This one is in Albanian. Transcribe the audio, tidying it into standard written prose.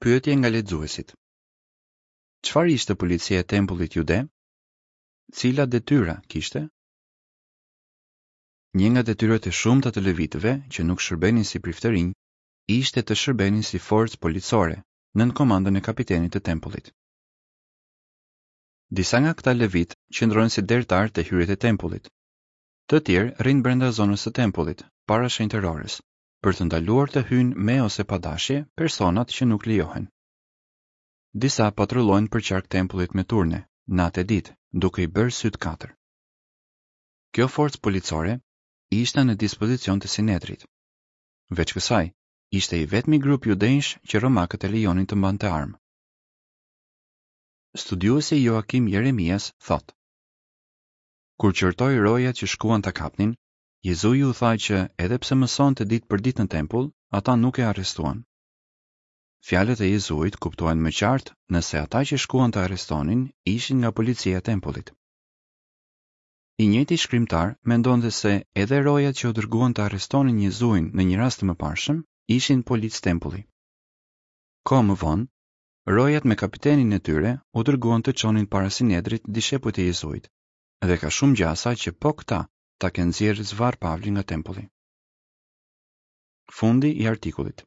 Pyetje nga lexuesit. Çfarë ishte policia e tempullit jude? Cilat detyra kishte? Një nga detyrat e shumta të levitëve që nuk shërbenin si priftërinj ishte të shërbenin si forcë policore nën komandën e kapitenit të tempullit. Disa nga këta levitë qëndrojnë si dertarë te hyrjet e tempullit. Të tjerë rrinë brenda zonës së tempullit, para shenjtërores, për të ndaluar të hyjnë me ose pa dashje personat që nuk lejohen. Disa patrullojnë përqark tempullit me turne, natë e ditë, duke i bërë sytë katër. Kjo forcë policore ishte në dispozicion të Sinedrit. Veç kësaj, ishte i vetmi grup judenjsh që romakët e lejonin të mbante armë. Studiuesi Joakim Jeremias thotë: Kur qortoi rojat që shkuan ta kapnin, Jezui u tha që, edhe pse mësonte ditë për ditë në tempull, ata nuk e arrestuan. Fjalët e Jezuit kuptohen më qartë nëse ata që shkuan ta arrestonin ishin nga policia e tempullit. I njëjti shkrimtar mendonte se edhe rojat që u dërguan të arrestonin Jezuin në një rast të mëparshëm ishin policë tempulli. Kohë më vonë, rojat me kapitenin e tyre u dërguan të çonin para Sinedrit dishepujt e Jezuit, dhe ka shumë gjasa që po këta ta kenë nxjerrë zvarrë Pavlin nga tempulli. Fundi i artikullit.